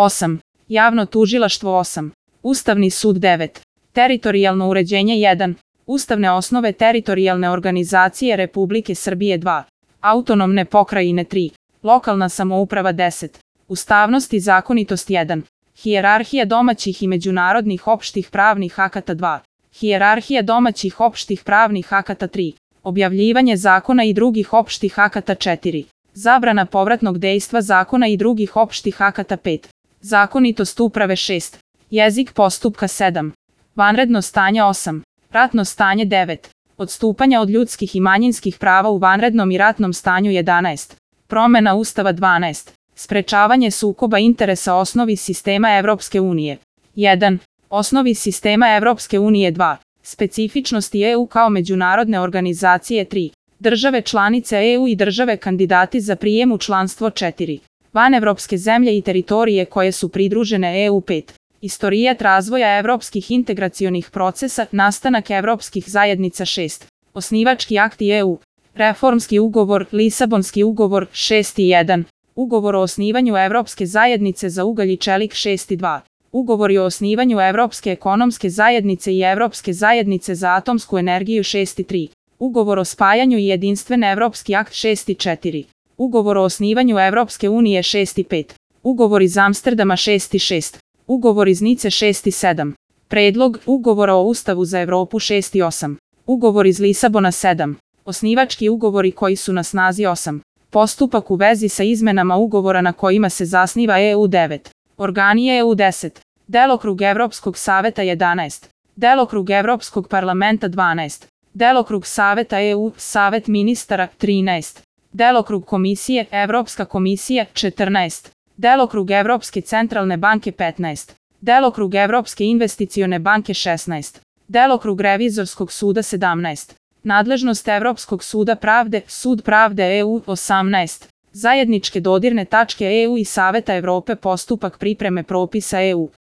8. Javno tužilaštvo 8. Ustavni sud 9. Teritorijalno uređenje 1. Ustavne osnove teritorijalne organizacije Republike Srbije 2. Autonomne pokrajine 3. Lokalna samouprava 10. Ustavnost i zakonitost 1. Hijerarhija domaćih i međunarodnih opštih pravnih akata 2. Hijerarhija domaćih opštih pravnih akata 3. Objavljivanje zakona i drugih opštih akata 4. Zabrana povratnog dejstva zakona i drugih opštih akata 5. Zakonitost uprave 6. Jezik postupka 7. Vanredno stanje 8. Ratno stanje 9. Odstupanja od ljudskih i manjinskih prava u vanrednom i ratnom stanju 11. Promena Ustava 12. Sprečavanje sukoba interesa osnovi sistema Evropske unije. 1. Osnovi sistema Evropske unije 2. Specifičnosti EU kao međunarodne organizacije 3. Države članice EU i države kandidati za prijem u članstvo 4. Vanevropske zemlje i teritorije koje su pridružene EU 5. Istorijat razvoja evropskih integracionih procesa, nastanak evropskih zajednica 6. Osnivački akti EU. Reformski ugovor, Lisabonski ugovor 6 i 1. Ugovor o osnivanju Evropske zajednice za ugalj i čelik 6 i 2. Ugovori o osnivanju Evropske ekonomske zajednice i Evropske zajednice za atomsku energiju 6 i 3. Ugovor o spajanju i jedinstven Evropski akt 6 i 4. Ugovor o osnivanju Evropske unije 6 i 5. Ugovor iz Amsterdama 6 i 6. Ugovor iz Nice 6 i 7. Predlog ugovora o Ustavu za Evropu 6 i 8. Ugovor iz Lisabona 7. Osnivački ugovori koji su na snazi 8. Postupak u vezi sa izmenama ugovora na kojima se zasniva EU 9. Organi EU 10. Delokrug Evropskog saveta 11. Delokrug Evropskog parlamenta 12. Delokrug Saveta EU, Savet ministara 13. Delokrug Komisije, Evropska komisija 14. Delokrug Evropske centralne banke 15. Delokrug Evropske investicione banke 16. Delokrug Revizorskog suda 17. Nadležnost Evropskog suda pravde, Sud pravde EU 18. Zajedničke dodirne tačke EU i Saveta Evrope postupak pripreme propisa EU.